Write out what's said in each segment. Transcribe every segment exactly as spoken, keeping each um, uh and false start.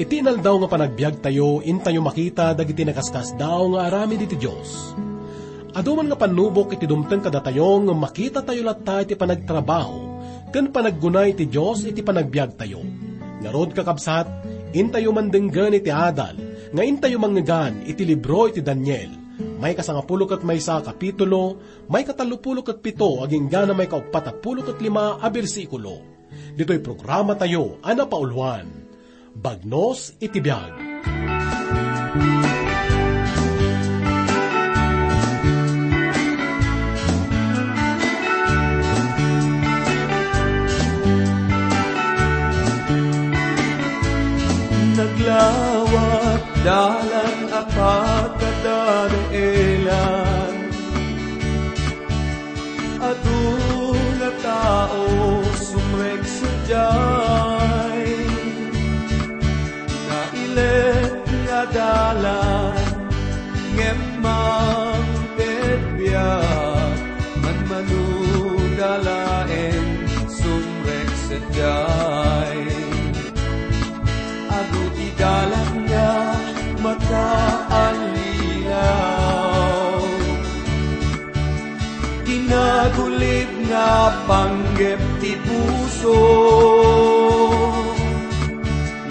Iti inaldaw nga panagbiagtayo, intayo makita dagiti nakaskasdaaw nga aramid iti Dios. Adu man nga pannubok iti dumteng kadatayo ngem makitatayo latta iti panagtrabaho ken panaggunay ti Dios iti panagbiagtayo. Ngarud, kakabsat, intayo man denggen iti adal nga intayo manngegan iti libro iti Daniel, maikasangapulo ket maysa a kapitulo, maikatallopulo ket pito agingga na maikauppat a pulo ket lima a bersikulo. Ditoy programatayo a napauluan, Bagnos iti Biag. Naglawat dalan a pagkadaelan. Adu nga tao sumrek sadiay, nailet nga dalan, ngem mangted biag, manmano da laeng sumrek sadiay. Adu ti dalan nga makaallilaw. Ti nagulib nga panggep ti puso,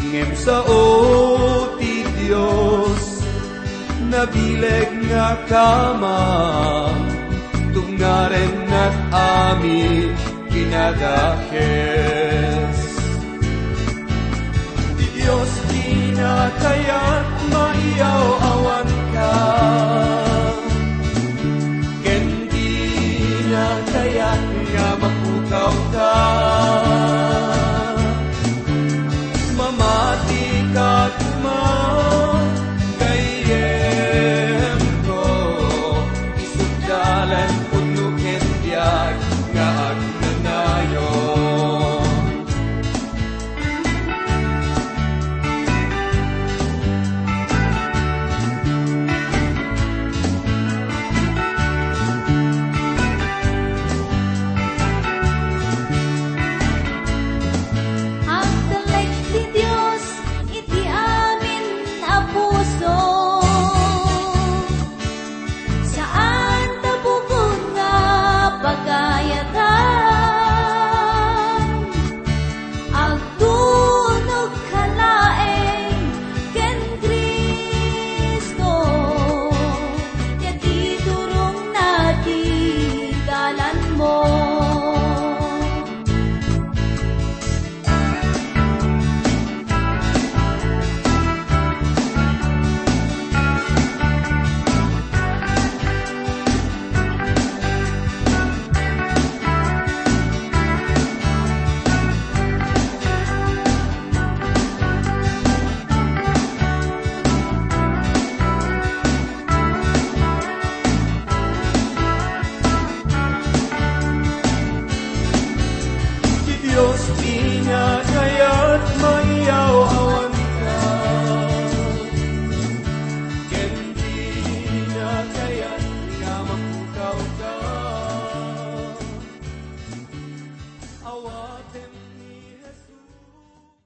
ngem sao ti Dios, nabileg nga kamang, tungaren nag-amin kinadakes. Ti Dios, dina kayat maiyaw-awanka. Ken dina kayat nga mapukawka. Mamati ka koma, gayyemko, isut' dalan pudno ken biag nga agnanayon. Agtalek ti Dios iti amin a puso. Saan ta bukod nga pagayatan, agtunog ka laeng ken Cristo, ket iturongna ti dalanmo. Ti Dios ti nga kayat maiyaw-awanka, ken ti nga kayat nga mapukawka. Awatem ni Jesus.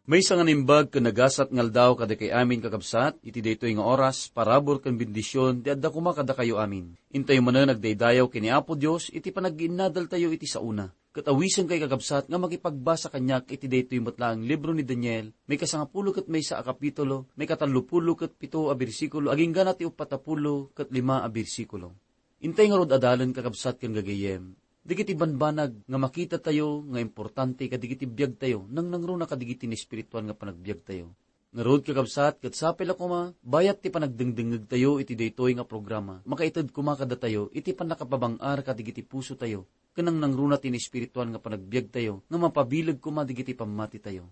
Maysa nga naimbag ken nagasat nga aldaw kadakayo amin, kakabsat, iti daytoy nga oras, parabur ken bendision ti adda koma kadakayo amin. Intayo manen agdaydayaw ken ni Apo Dios iti panagginnadaltayo iti saona. Ket awisenkayo, kakabsat, nga makipagbasa kaniak iti daytoy met laeng libro ni Daniel, maikasangapulo ket maysa a kapitulo, maikatallopulo ket pito a bersikulo, agingga na ti uppat a pulo ket lima a bersikulo. Intay ngarud adalen, kakabsat ken gagayyem, dagiti banbanag nga makitatayo nga importante kadagiti biagtayo, nangnangruna kadagiti naespirituan nga panagbiagtayo. Ngarud, kakabsat, ket sapay la koma, bayat ti panagdengdengngegtayo iti daytoy nga programa, makaited koma kadatayo iti pannakapabang-ar kadagiti pusotayo, ken nangnangruna ti naespirituan nga panagbiagtayo nga mapabileg koma dagiti pammatitayo.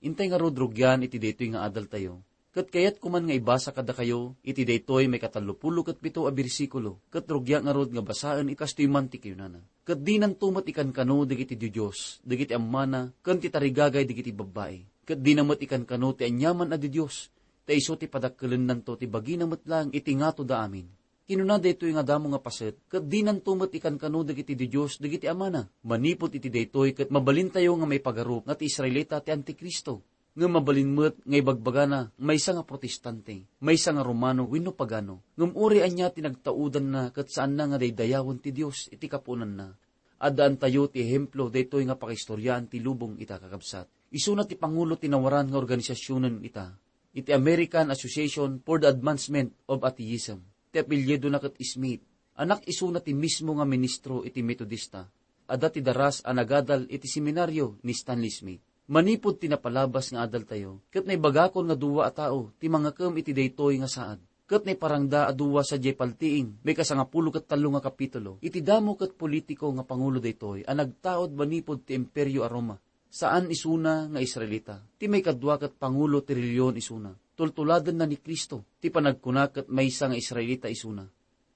Intay ngarud rugian iti daytoy nga adaltayo. Ket kayatko man nga ibasa kadakayo iti daytoy maikatallopulo ket pito a bersikulo, ket rugiak ngarud nga basaen iti kastoy man ti kinunana. Ket dinanto met ikankano dagiti didios, dagiti ammana, ken ti tarigagay dagiti babbai. Ket dina met ikankano ti aniaman a didios, ta isu ti padakkelennanto ti bagina met laeng iti ngatoda amin. Kinuna daytoy nga damo nga paset, ket dinanto met ikankano dagiti didios dagiti amana. Manipud iti daytoy ket mabalintayo nga maipagarup nga ti Israelita ti Antikristo. Ngem mabalin met nga ibagbagana, maysa nga protestante, maysa nga Romano wenno pagano. Ngem uray ania ti nagtaudanna ket saanna nga daydayawen ti Dios iti kapuonanna. Addaantayo ti ehemplo daytoy nga pakaistoriaan ti lubong ita, kakabsat. Isuna ti pangulo ti nawaran nga organisasionen ita, iti American Association for the Advancement of Atheism. Ti apelyidona ket Smith. Anak isuna ti mismo nga ministro iti Metodista. Adda ti daras a nagadal iti seminario ni Stanley Smith. Manipud ti napalabas nga adaltayo, ket naibagakon nga dua a tao ti mangakem iti daytoy nga saad. Ket naiparangda a dua sadiay paltiing, maikasangapulo ket tallo nga kapitulo, iti damo ket politiko nga pangulo daytoy a nagtaud manipud ti Imperio a Roma. Saan isuna nga Israelita. Ti maikadua ket pangulo ti relihiyon isuna. Tultuladenna ni Cristo. Ti panagkuna ket maysa nga Israelita isuna.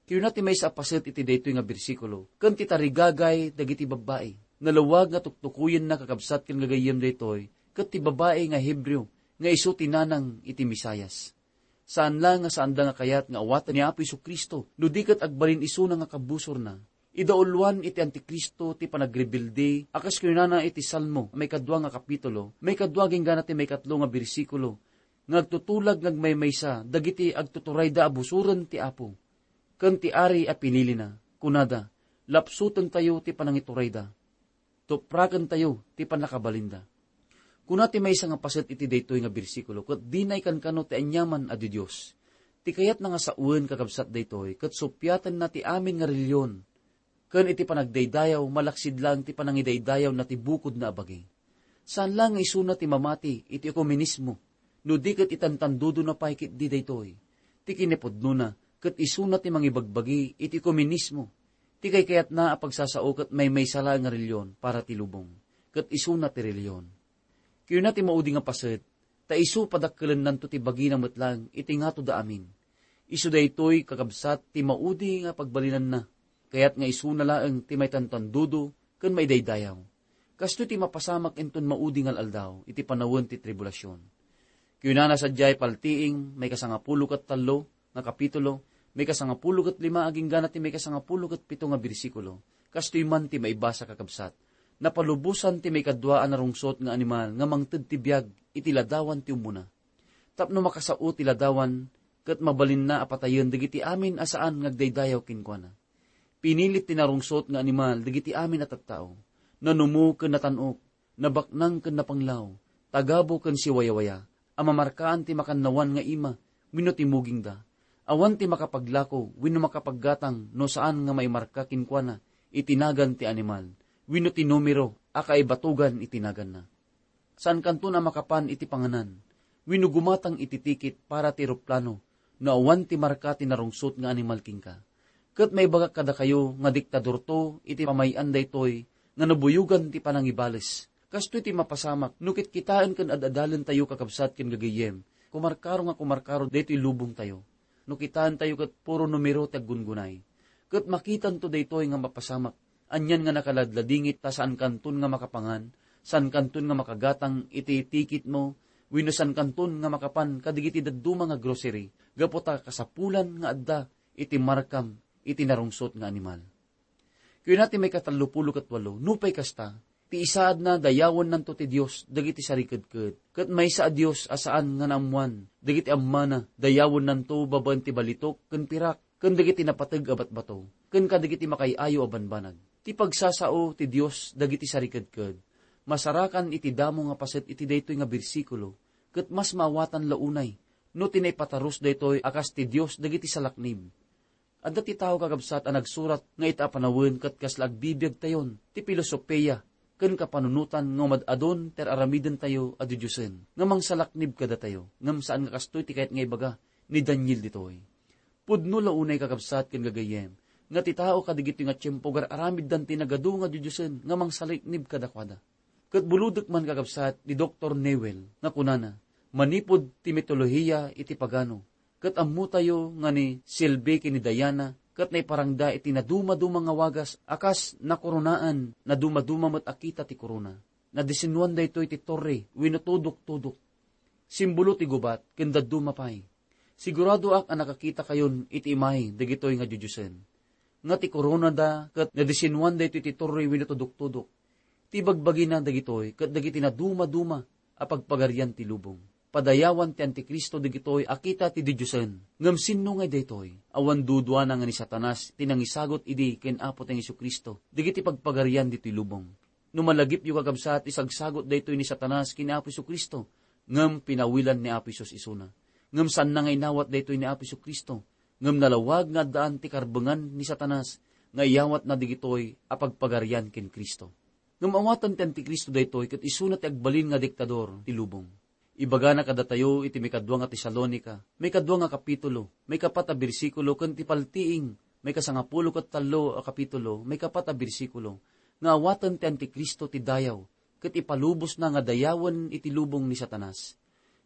Kinuna ti maysa a paset iti daytoy nga bersikulo, ken ti tarigagay dagiti babbai. Nalawag nga tuktukoyenna, kakabsat ken gagayyem, daytoy, ket ti babbai nga Hebreo nga isu ti nanang iti Mesias. Saan la nga saanda nga kayat nga awaten ni Apo Jesu-Cristo, no di ket agbalin isuna nga kabusorna. Idauluan iti Antikristo ti panagrebelde, a kas kinunana iti Salmo, maikadua nga kapitulo, maikadua agingga ti maikatlo nga bersikulo, nga agtutulag nga agmaymaysa dagiti agtuturayda a busoren ti Apo ken ti ari a pinilina. Kunada, lapsutentayo ti panangiturayda. Tuprakentayo ti pannakabalinda. Kuna ti maysa nga paset iti daytoy nga bersikulo, ket dina ikankano ti aniaman a didios. Ti kayatna nga sawen, kakabsat, daytoy, ket suppiatenna ti amin nga relihiyon. Ken iti panagdaydayaw, malaksid laeng ti panangidaydayawna ti bukodna a bagi. Saan la nga isuna ti mamati iti ekumenismo, no di ket itantandudona pay ketdi daytoy. Ti kinapudnona, ket isuna ti mangibagbagi iti ekumenismo. Ti kaykayatna a pagsasao ket maymaysa laeng nga relihiyon para ti lubong, ket isuna ti relihiyon. Kinuna ti maudi nga paset, ta isu padakkelennanto ti bagina met laeng iti ngatoda amin. Isu daytoy, kakabsat, ti maudi nga pagbalinanna. Kayat nga isuna laeng ti maitantandudo ken maidaydayaw. Kastoy ti mapasamak inton maudi nga al-aldaw iti panawen ti tribulasion. Kinunana sadiay paltiing, maikasangapulo ket tallo nga kapitulo, maikasangapulo ket lima agingga ti maikasangapulo ket pito nga bersikulo. Kastoy man ti maibasa, kakabsat. Napalubosan ti maikadua a narungsot nga animal nga mangted ti biag iti ladawan ti umuna. Tapno makasao ti ladawan, ket mabalinna a patayen dagiti amin a saan nga agdaydayaw kenkuana. Pinilit ti narungsot nga animal dagiti amin a tattao. Nanumo ken natan-ok, nabaknang ken napanglaw, tagabu ken siwayawaya, a mamarkaan ti makannawan nga ima wenno ti mugingda. Awan ti makapaglako wenno makapaggatang no saan nga maimarka kenkuana iti nagan ti animal wenno ti numero a kaibatogan iti naganna. Saankanton a makapan iti panganan wenno gumatang iti tikit para ti eroplano no awan ti marka ti narungsot nga animal kenka. Ket maibagak kadakayo nga diktadorto iti pamay-an daytoy nga nabuyogan ti panangibales. Kastoy ti mapasamak no kitkitaen ken ad-adalentayo, kakabsat ken gagayyem, kumarkaro nga kumarkaro daytoy lubongtayo. No kitaentayo ket puro numero ti aggungunay. Ket makitanto daytoy nga mapasamak. Anian nga nakaladladingit ta saankanton nga makapangan, saankanton nga makagatang iti tikitmo, wenno saankanton nga makapan kadagiti dadduma nga grocery, gapu ta kasapulan nga adda iti markam iti narungsot nga animal. Kuna ti maikatallopulo ket walo, nupay kasta, ti isaadna dayawennanto ti Dios dagiti sarikedked, ket maysa a Dios a saan nga naammoan dagiti ammana, dayawennanto babaen ti balitok ken pirak, ken dagiti napateg a batbato, ken kadagiti makaay-ayo a banbanag. Ti pagsasao ti Dios dagiti sarikedked, masarakan iti damo nga paset iti daytoy nga bersikulo, ket mas maawatan la unay no ti naipatarus daytoy a kas ti Dios dagiti salaknib. Adda ti tao, kakabsat, a nagsurat nga ita a panawen ket kasla agbibiagtayon ti filosofia ken kapanunotan nga umad-adun ti ar-aramidentayo a didiosen nga mangsalaknib kadatayo, ngem saan nga kastoy ti kayat nga ibaga ni Daniel ditoy. Pudno la unay, kakabsat ken gagayyem, nga ti tao kadagitoy nga tiempo gar-aramiddan ti nagadu nga didiosen nga mangsalaknib kadakuada. Ket bulodek man, kakabsat, ni Doktor Newell nga kunana, manipud ti mitolohiya iti pagano, ket ammotayo nga ni Selby ken ni Diana ket naiparangda iti nadumaduma nga wagas a kas nakoronaan, nadumaduma met a kita ti korona. Nadisennuan daytoy ti torre wenno tudok-tudok. Simbolo ti gubat ken dadduma pay. Siguradoak a nakakitakayon iti imahe dagitoy nga didiosen. Nga ti koronada ket nadisennuan daytoy ti torre wenno tudok-tudok. Ti bagbagina dagitoy ket dagiti nadumaduma a pagpagarian ti lubong. Padayawan ti Antikristo dagitoy a kita ti didiosen. Ngem sinno ngay daytoy? Awan duduana nga ni Satanas ti nangisagut idi ken Apotayo Jesu-Cristo dagiti pagpagarian ditoy lubong. No malagipyo, kakabsat, isagsagut daytoy ni Satanas ken Apo Jesu-Cristo, ngem pinawilan ni Apo Jesus isuna. Ngem saanna nga inawat daytoy ni Apo Jesu-Cristo, ngem nalawag nga addaan ti karbengan ni Satanas nga iyawatna dagitoy a pagpagarian ken Cristo. Ngem awaten ti Antikristo daytoy ket isuna ti agbalin nga diktador ti lubong. Ibagana kadatayo iti maikadua nga Tesalonica, maikadua nga kapitulo, maikapat a bersikulo, ken ti paltiing, maikasangapulo ket tallo a kapitulo, maikapat a bersikulo, nga awaten ti Antikristo ti dayaw, ket ipalubosna nga dayawen iti lubong ni Satanas.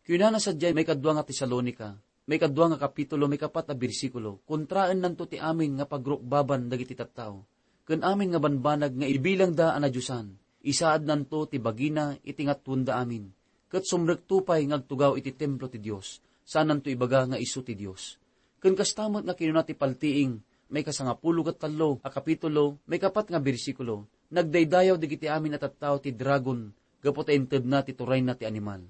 Kunana sadiay maikadua nga Tesalonica, maikadua nga kapitulo, maikapat a bersikulo, kontraennanto ti amin nga pagrukbaban dagiti tattao, ken amin nga banbanag nga ibilangda a nadiosan, isaadnanto ti bagina iti ngatwenda amin, ket sumrekto pay nga agtugaw iti templo ti Dios, saannanto ibaga nga isu ti Dios. Ken kasta met nga kinuna ti paltiing, maikasangapulo ket tallo a kapitulo, maikapat nga bersikulo, nagdaydayaw dagiti amin a tattao ti dragon gapu ta intedna ti turayna ti animal.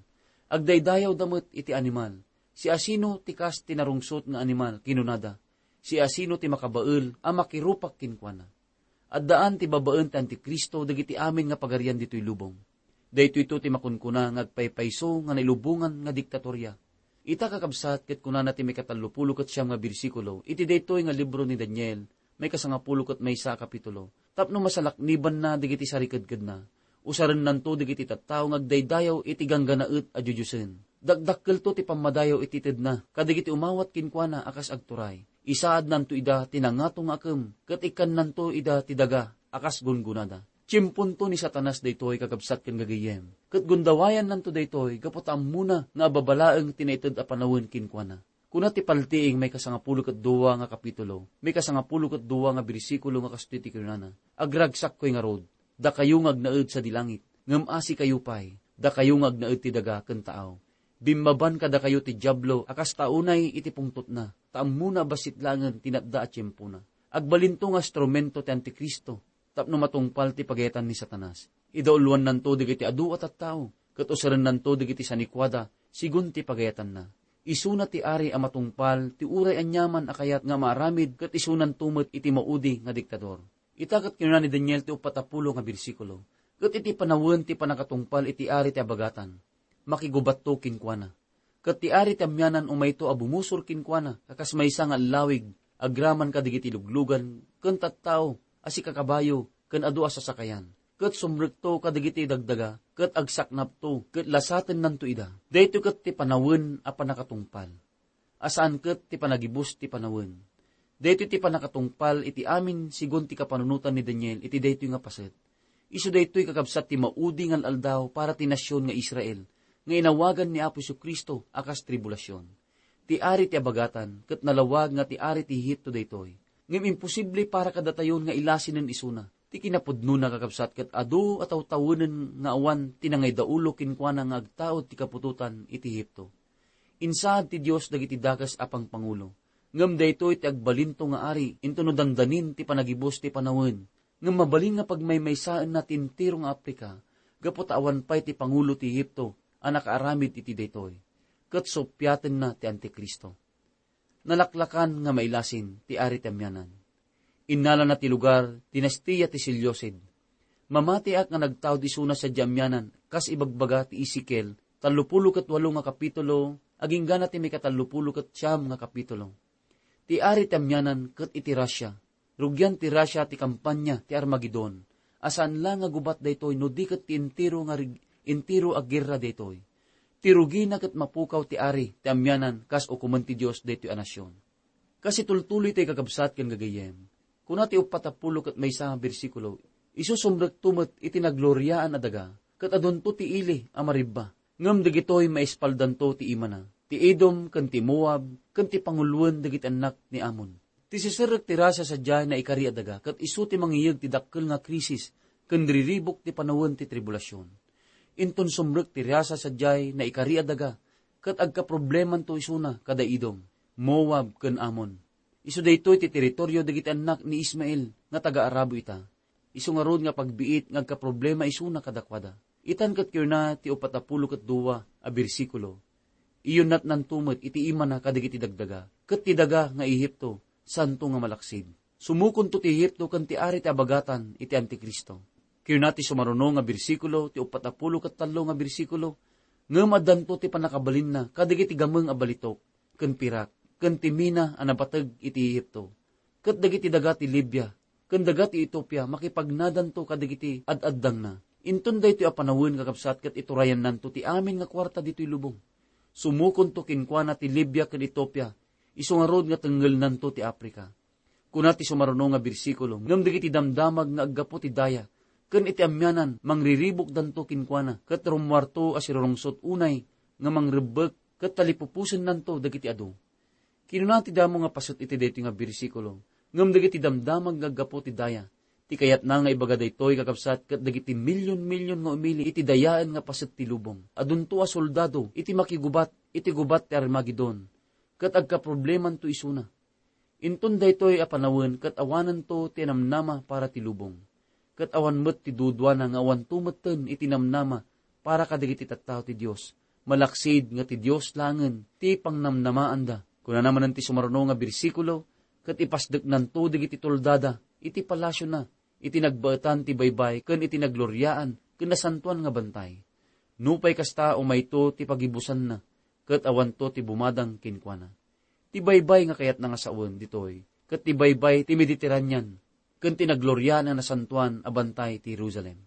Agdaydayawda met iti animal. Siasino ti kas ti narungsot nga animal, kinunada. Siasino ti makabael a makirupak kenkuana? Addaan ti babaen ti Antikristo dagiti amin nga pagarian ditoy lubong. Daytoyto ti makunkuna nga agpaypayso nga nailubongan nga diktatoria. Ita, kakabsat, ket kunana ti maikatallopulo ket siam nga bersikulo iti daytoy nga libro ni Daniel, maikasangapulo ket maysa a kapitulo, tapno masalaknibanna dagiti sarikedkedna. Usarennanto dagiti tattao nga agdaydayaw iti gangganaet a didiosen. Dakdakkelto ti pammadayaw iti tedna kadagiti umawat kenkuana a kas agturay. Isaadnanto ida ti nangato nga akem, ket ikkannanto ida ti daga a kas gungonada. Tiemponto ni Satanas daytoy, kakabsat ken gagayyem, ket gundawayannanto daytoy gapu ta ammona nga ababalaeng ti naited a panawen kenkuana. Kuna ti paltiing maikasangapulo ket dua nga kapitulo, maikasangapulo ket dua nga bersikulo nga kastoy ti kunana, "Agragsakkoy ngarud, dakayo nga agnaed sadi langit, ngem asikayo pay, dakayo nga agnaed ti daga ken taaw. Bimmaban kadakayo ti Diablo a kas taunay iti pungtotna, ta ammona a bassit laengen ti natda a tiempona." Agbalinto nga instrumento ti Antikristo tapno matungpal ti pagayatan ni Satanas. Idauluannanto dagiti adu a tattao, ket userennanto dagiti sanikuada sigun ti pagayatanna. Isuna ti ari a matungpal ti uray aniaman a kayat nga maaramid, ket isunanto met iti maudi nga diktador. Ita ket kinuna ni Daniel ti uppat a pulo nga bersikulo, "Ket iti panawen ti pannakatungpal iti ari ti abagatan, makigubatto kenkuana. Ket ti ari ti amianan umayto a bumusor kenkuana a kas maysa nga allawig agraman kadagiti luglugan ken tattao a sikakabayo ken adu a sasakayan. Ket sumrekto kadagiti dagdaga ket agsaknapto ket lasatennanto ida." Daytoy ket ti panawen a pannakatungpal, a saan ket ti panagibus ti panawen. Daytoy ti pannakatungpal iti amin sigun ti kapanunotan ni Daniel iti daytoy nga paset. Isu daytoy, kakabsat, ti maudi nga al-aldaw para ti nasion nga Israel, nga inawagan ni Apo Jesu-Cristo a kas tribulasion. Ti ari ti abagatan ket nalawag nga ti ari ti Egipto daytoy. Ngem imposible para kadatayon nga ilasinen isuna. Ti kinapudnona, kakabsat, ket adu a tawtawenen nga awan ti nangaydaulo kenkuana nga agtaud ti kaputotan iti Egipto. Insaad ti Dios dagiti dakes a pangpangulo. Ngem daytoy ti agbalinto nga ari, inton no dandanin ti panagibus ti panawen. Ngem mabalin nga pagmaymaysaenna ti entero nga Africa, gapu ta awan pay ti pangulo ti Egipto a nakaaramid iti daytoy, ket suppiatenna ti Antikristo. Nalaklakan nga mailasin ti ari ti amianan. Innalana ti lugar, dinastia ti Seleucid. Mamatiak nga nagtaud isuna sadiay amianan, kas ibagbaga ti Ezekiel tallopulo ket walo nga kapitulo, aginggana ti maikatallopulo ket siam nga kapitulo. Ti ari ti amianan ket iti Russia. Rugian ti Russia ti kampanya ti Armagedon, a saan la nga gubat daytoy no di ket ti entero nga rig-, entero a gerra daytoy. Ti rugina ket mapukaw ti ari ti amianan kas ukomen ti Dios daytoy a nasion. Kas itultuloy ti kakabsat ken gagayyem, kuna ti uppat a pulo ket maysa nga bersikulo, "Isu sumrekto met iti nagloriaan a daga, ket adunto ti ili a maribba. Ngem dagitoy maispaldanto ti imana, ti Edom ken ti Moab ken ti panguloen dagiti annak ni Ammon." Ti siserrek ti Russia sadiay naikari a daga, ket isu ti mangiyeg ti dakkel nga krisis ken riribuk ti panawen ti tribulasion. Inton sumrek ti Russia sadiay naikari a daga, ket agkaproblemanto isuna kada Edom, Moab, ken Ammon. Isu daytoy ti teritorio dagiti annak ni Ismael nga taga-Arabo ita. Isu ngarud nga pagbiit nga agkaproblema isuna kadakuada. Itan ket kinuna ti upat a pulo ket dua a bersikulo, "Iyunnatnanto met iti imana kadagiti dagdaga, ket ti daga nga Ehipto, saanto nga malaksid. Sumukonto ti Ehipto ken ti ari ti abagatan iti Antikristo." Kinuna ti sumaruno nga bersikulo, ti upat a pulo ket tallo nga bersikulo, "Ngem addanto ti pannakabalinna kadagiti gameng a balitok, ken pirak, ken ti mina a nabateg iti Ehipto, ket dagiti daga ti Libia, ken daga ti Etiopia makipagnadanto kadagiti ad-addangna. Inton daytoy a panawen, kakabsat, ket iturayannanto ti amin nga kuarta ditoy lubong. Sumukonto kenkuana ti Libia ken Etiopia, isu ngarud nga tengngelnanto ti Africa." Kuna ti sumaruno nga bersikulo, "Ngem dagiti damdamag nga aggapu ti daya, ken iti amianan, mangriribukdanto kenkuana, ket rummuarto a sirurungsot unay nga mangrebbek, ket talipupusennanto dagiti adu." Kinuna ti damo nga paset iti daytoy nga bersikulo, "Ngem dagiti damdamag nga aggapu ti daya," ti kayatna nga ibaga daytoy, kakabsat, ket dagiti milyon-milyon nga umili iti dayaen nga paset ti lubong. Adunto a soldado iti makigubat iti gubat ti Armagedon, ket agkaproblemanto isuna. Inton daytoy a panawen ket awananto ti namnama para ti lubong, ket awan met ti duduana nga awanto metten iti namnama para kadagiti tattao ti Dios, malaksid nga ti Dios laengen ti pangnamnamaanda. Kunana manen ti sumaruno nga bersikulo, "Ket ipasdeknanto dagiti toldada iti palasiona, iti nagbaetan ti baybay ken iti nagloriaan ken nasantoan nga bantay. Nupay kasta, umayto ti pagibusanna, ket awanto ti bumadang kenkuana." Ti baybay nga kayatna nga sawen ditoy, ket ti baybay ti Mediterranean, ken ti nagloriaan a nasantoan a bantay ti Jerusalem.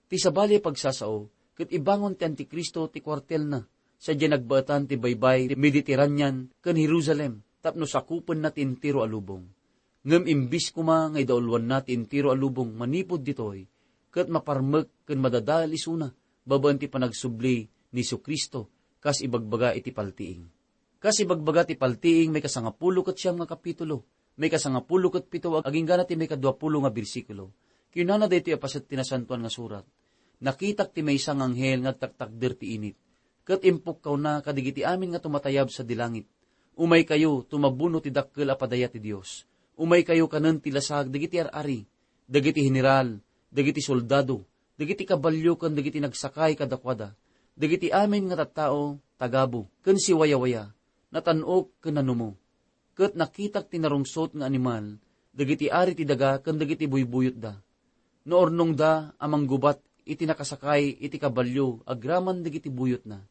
Ti sabali a pagsasao, ket ibangon ti Antikristo ti kuartelna sadiay nagbaetan ti baybay ti Mediterranean ken Jerusalem tapno sakupenna ti entero a lubong. Ngem imbis koma nga idauluanna ti entero a lubong manipud ditoy, ket maparmek ken madadael isuna babaen ti panagsubli ni Jesu-Cristo, kas ibagbaga iti paltiing. Kas ibagbaga ti paltiing, maikasangapulo ket siam nga kapitulo, maikasangapulo ket pito, ag-, aginggana ti maikaduapulo nga bersikulo. Kinunana daytoy a paset ti Nasantoan nga Surat, "Nakitak ti maysa nga anghel nga agtaktakder ti init, ket impukkawna kadagiti amin nga tumatayab sadi langit, 'Umaykayo, tumabuno ti dakkel a padaya ti Dios. Umaykayo kanen ti lasag dagiti ar-ari, dagiti heneral, dagiti soldado, dagiti kabalio ken dagiti nagsakay kadakuada, dagiti amin nga tattao, tagabu, ken siwayawaya, natan-ok ken nanumo.' Ket nakitak ti narungsot nga animal dagiti ari ti daga ken dagiti buybuyotda. Naurnongda a manggubat iti nakasakay iti kabalio agraman dagiti buyotna.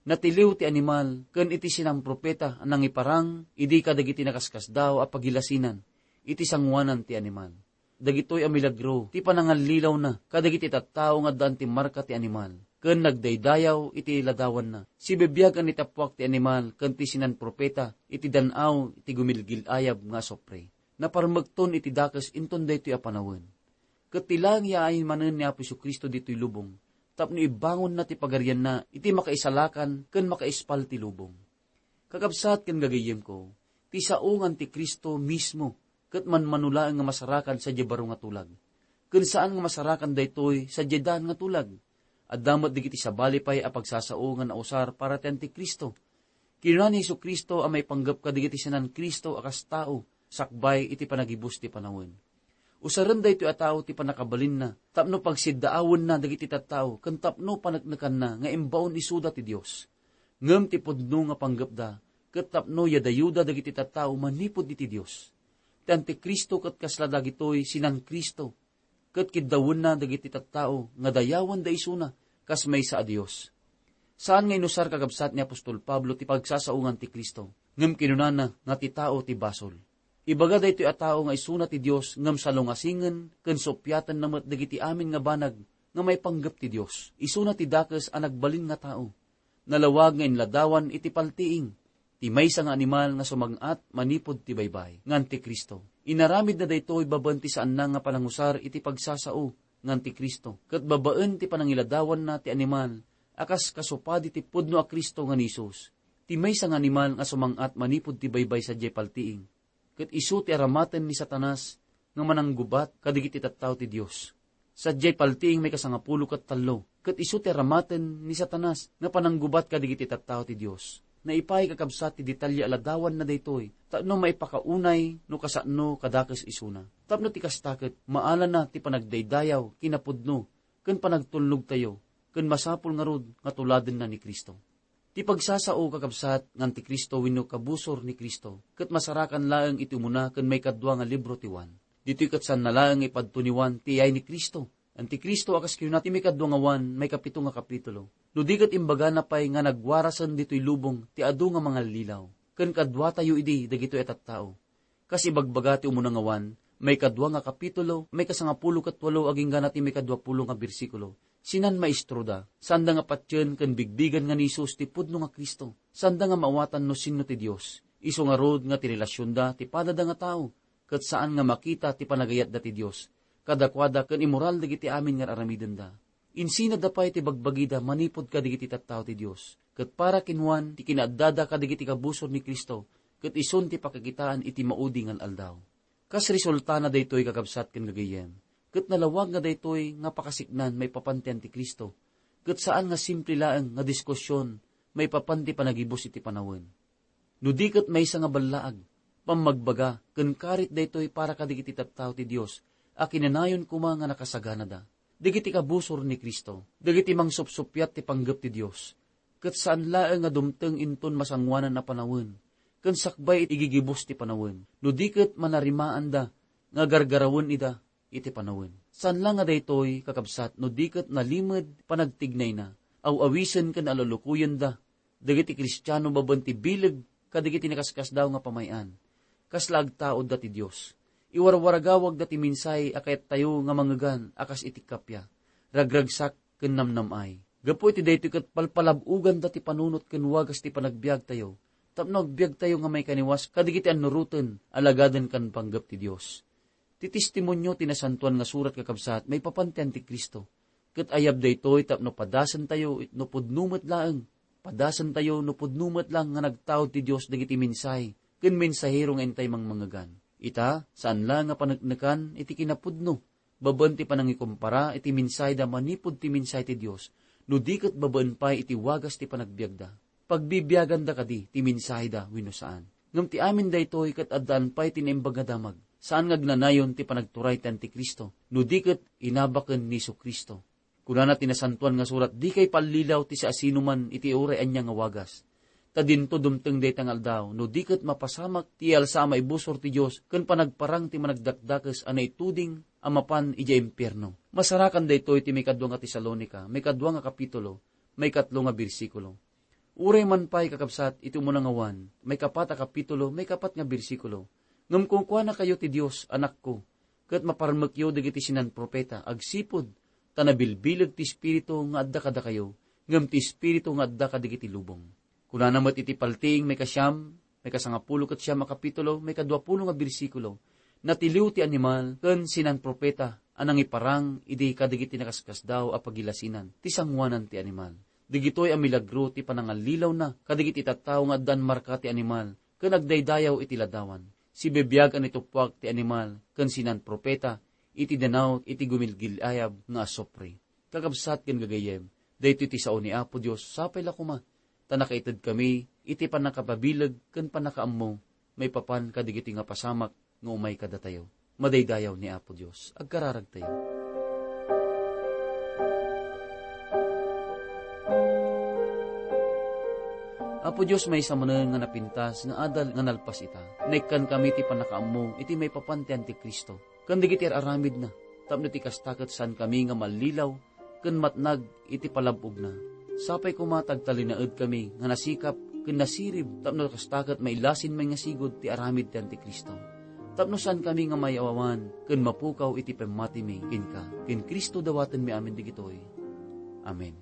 Natiliw ti animal ken iti sinamprofeta a nangiparang idi kadagiti nakaskasdaaw a pagilasinan iti sangoanan ti animal. Dagitoy a milagro ti panangallilawna kadagiti tattao nga addaan ti marka ti animal, ken nagdaydayaw iti ladawanna. Sibibiag a nitappuak ti animal ken ti sinanprofeta iti dan-aw ti gumilgil-ayab nga asupre. Naparmekton iti dakes inton daytoy a panawen. Ket ti laeng yaayen manen ni Apo Jesu-Cristo ditoy lubong tapno ibbangonna ti pagarianna iti makaisalakan ken makaispal ti lubong. Kakabsat ken gagayyemko, ti sao nga Antikristo mismo ket manmano laeng nga masarakan sadiay baro nga tulag. Ken saan nga masarakan daytoy sadiay daan nga tulag. Adda met dagiti sabali pay a pagsasao nga nausar para ti Antikristo. Kinuna ni Jesu-Cristo a maipanggep kadagiti sinan-Cristo a kas tao sakbay iti panagibus ti panawen. Usaren daytoy a tao ti pannakabalinna tapno pagsiddaawenna dagiti tattao ken tapno paneknekanna nga imbaon isuda ti Dios. Ngem ti pudno nga panggepda ket tapno yadayuda dagiti tattao manipud iti Dios. Ti Antikristo ket kasla dagitoy sinan-Cristo, ket kiddawenna dagiti tattao nga dayawenda isuna kas maysa a Dios. Saan nga inusar, kakabsat, ni apostol Pablo ti pagsasao nga Antikristo, ngem kinunana nga ti tao ti basol. Ibaga daytoy a tao nga isuna ti Dios ngem salungasingen ken suppiatenna met dagiti amin nga banag nga maipanggep ti Dios. Isuna ti dakes a nagbalin nga tao. Nalawag nga inladawan iti paltiing ti maysa nga animal nga sumang-at manipud ti baybay nga Antikristo. Inaramidna daytoy babaen ti saanna nga panangusar iti pagsasao nga Antikristo, ket babaen ti panangiladawanna ti animal a kas kasupadi ti pudno a Cristo nga ni Jesus, ti maysa nga animal nga sumang-at manipud ti baybay sadiay paltiing. Ket isu ti aramaten ni Satanas nga mananggubat kadagiti tattao ti Dios. Sadiay paltiing maikasangapulo ket tallo, ket isu ti aramaten ni Satanas nga pananggubat kadagiti tattao ti Dios. Naipaay, kakabsat, ti detalye a ladawanna daytoy tapno maipakaunay no kasano kadakes isuna. Tapno ti kasta ket maalana ti panagdaydayaw, kinapudno, ken panagtulnogtayo ken masapul ngarud nga tuladenna ni Cristo. Ti pagsasao, kakabsat, nga Antikristo wenno kabusor ni Cristo, ket masarakan laeng iti umuna ken maikadua nga libro ti Juan. Ditoy ket saanna laeng nga ipadto ni Juan ti iyay ni Cristo. Antikristo a kas kinuna ti maikadua nga Juan, maikapito nga kapitulo. No di ket imbagana pay nga nagwarasen ditoy lubong ti adu nga mangallilaw. Ken kaduatayo idi dagitoy a tattao. Kas ibagbaga ti umuna nga Juan, maikadua nga kapitulo, maikasangapulo ket walo agingga na ti maikaduapulo nga bersikulo, sinan maestroda, saanda nga patien ken bigbigan nga ni Jesus ti pudno nga Cristo, saanda nga maawatan no sinno ti Dios. Isu ngarud nga ti relasionda ti padada nga tao, ket saan nga makita ti panagayatda ti Dios. Kadakuada ken immoral dagiti amin nga aramidenda. Insinada pay ti bagbagida manipud kadagiti tattao ti Dios. Ket para ken Juan, ti kinaaddada kadagiti kabusor ni Cristo, ket isun ti pakakitaan iti maudi nga al-aldaw. Kas resultana daytoy, kakabsat ken gagayyem, ket nalawag nga daytoy nga pakasiknan maipapan ti Antikristo, ket saan nga simple laeng nga diskusion maipapan ti panagibus iti panawen. No di ket maysa nga ballaag, pammagbaga, ken karit daytoy para kadagiti tattao ti Dios a kinanayon koma nga nakasaganada. Dagiti kabusor ni Cristo, dagiti mangsupsuppiat ti panggep ti Dios, ket saan laeng nga dumteng inton masangoanan a panawen, ken sakbay iti gigibus ti panawen. No di ket manarimaanda nga gargarawen ida iti panawen. Saan la nga daytoy, kakabsat, no di ket nalimed panagtignayna, aw-awisen ken alulukoyenda dagiti Kristiano babaen ti bileg kadagiti nakaskasdaaw nga pamay-an. Kasla agtaudda ti Dios. Iwarwaragawagda ti mensahe a kayattayo nga mangngegan a kas iti kappia, ragragsak ken namnam-ay. Gapu iti daytoy ket palpalab-oganda ti panunot ken wagas ti panagbiagtayo, tapno agbiagtayo nga maikaniwas kadagiti annuroten, alagaden ken panggep ti Dios. Ti testimonio ti Nasantoan nga Surat, kakabsat, maipapan ti Antikristo. Ket ayab daytoy tapno padasentayo it-, no pudno met laeng. Padasentayo no pudno met laeng nga nagtaud ti Dios dagiti mensahe ken mensahero nga intay mangmangngegan. Ita, saan la nga paneknekan iti kinapudno, babaen ti panangikumpara iti mensaheda manipud ti mensahe ti Dios, no di ket babaen pay iti wagas ti panagbiagda. Pagbibiaganda kadi ti mensaheda wenno saan. Ngem ti amin daytoy ket addaan pay ti Naimbag nga Damag. Saan nga agnanayon ti panagturay ti Antikristo, no di ket inabaken ni Jesu-Cristo. Kunana ti Nasantoan nga Surat, "Dikay pallilaw ti siasinoman iti uray ania nga wagas. Ta dinto dumteng dayta nga aldaw, no di ket mapasamak ti iyalsa a maibusor ti Dios ken panagparang ti managdakdakes a naituding a mapan idiay impierno." Masarakan daytoy ti maikadua nga Tesalonica, maikadua nga kapitulo, maikatlo nga bersikulo. Uray man pay, kakabsat, iti umuna nga Juan, maikapat a kapitulo, maikapat nga bersikulo, "Ngem kunkuanakayo ti Dios, anakko, ket maparmekyo dagiti sinan-profeta agsipud ta nabilbileg ti Espiritu nga adda kadakayo, ngem ti Espiritu nga adda kadagiti lubong." Kunana met iti paltiing maikasiam, maikasangapulo ket siam a kapitulo, maikaduapulo nga bersikulo, "Natiliw ti animal ken sinan-profeta a nangiparang idi kadagiti nakaskasdaaw a pagilasinan ti sangoanan ti animal." Dagitoy a milagro ti panangallilawna kadagiti tattao nga addan marka ti animal ken agdaydayaw iti ladawan. Sibibiag a nituppuak ti animal ken sinan-profeta iti danaw iti gumilgil-ayab nga asupre. Kakabsat ken gagayyem, daytoy ti sao ni Apo Dios, sapay la koma ta nakaitedkami iti pannakapabileg ken pannakaammo maipapan kadagiti nga pasamak nga umay kadatayo. Madaydayaw ni Apo Dios. Agkararagtayo. Apo Dios, maysa manen nga napintas nga adal nga nalpas ita. Naikkankami ti pannakaammo iti maipapan ti Antikristo ken dagiti ar-aramidna, tapno ti kasta ket saankami nga mallilaw ken matnag iti palab-ogna. Sapay koma ta agtalinaedkami nga nasikap ken nasirib tapno kasta ket mailasin met nga sigud ti aramid ti Antikristo, tapno saankami nga mayawawan ken mapukaw iti pammatimi kenka. Ken Cristo dawatenmi amin dagitoy. Amen.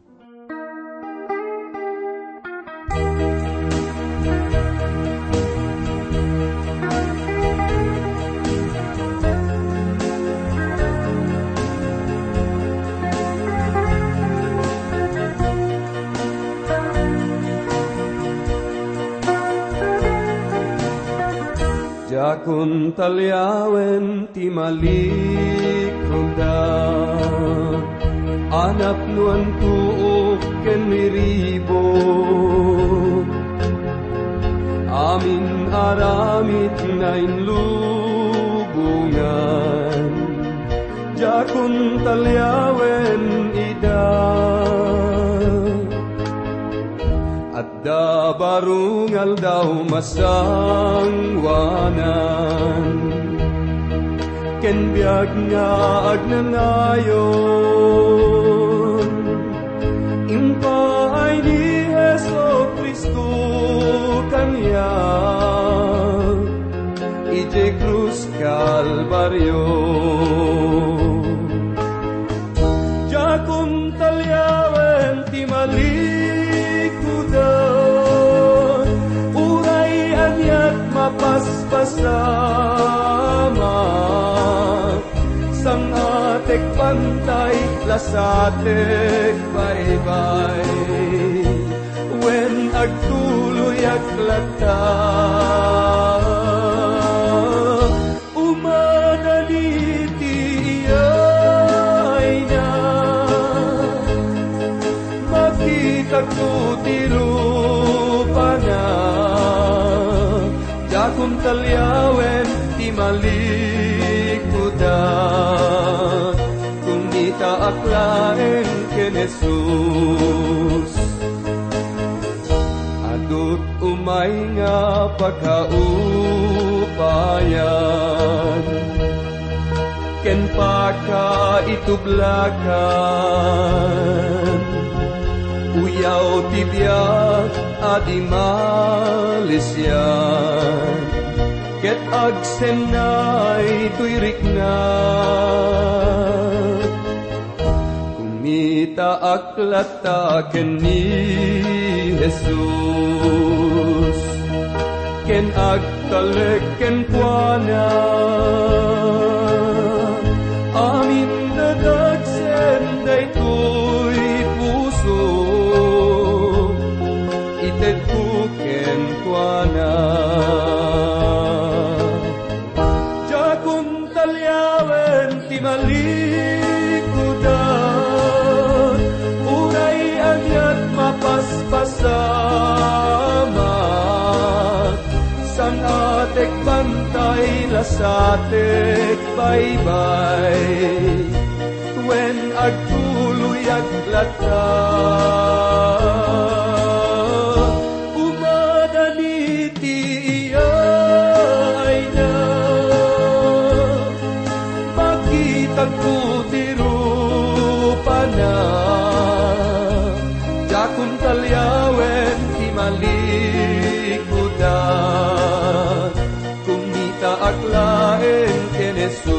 Diakon taliawen ti malikroda, a napnoan tuok ken miribo, amin aramid nga inlubongan. Diakon taliawen ida. Da baro nga aldaw masangoanan, ken biag nga agnanayon, impaay ni Jesu-Cristo kaniak idiay krus Kalbario. Diakon taliawen ti malikudan, uray aniat mapaspasamak, sang-atek bantay, lasatek baybay, wen agtuloyak latta. Umanan iti iyayna, makitakto ti rupana. Diakon taliawen ti malikudan, kumitaak laeng ken Jesus. Adu't umay nga pakaupayan ken pakaitublakan, uyaw ti biag a di malisian, ket agsennay toy rikna. Kumitaak latta ken ni Jesus, ken agtalek kenkuana. Amin dadagsen daytoy puso, itedko kenkuana. Diakon taliawen ti malikudan, uray aniat mapaspasamak, sang-atek bantay, lasatek baybay, wen agtuloyak latta. Umanan iti iyayna, makitakto ti rupana. Diakon taliawen ti malikudan, kumitaak laeng ken Jesus.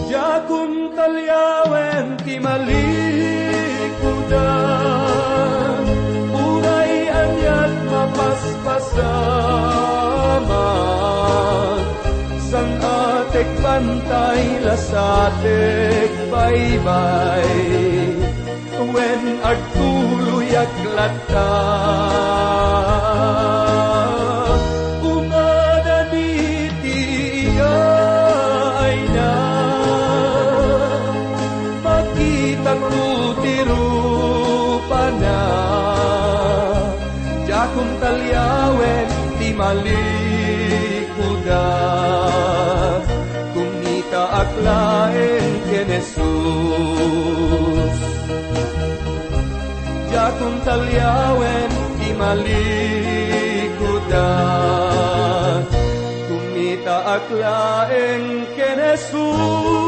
Diakon taliawen ti malikudan, uray aniat mapaspasamak, sang-atek bantay, lasatek baybay, wen agtuloyak latta. Umanan iti iyayna, makitakto ti rupana. Diakon taliawen ti malikudan, kumitaak laeng ken Jesus. Diakon taliawen ti malikudan, kumitaak laeng ken Jesus.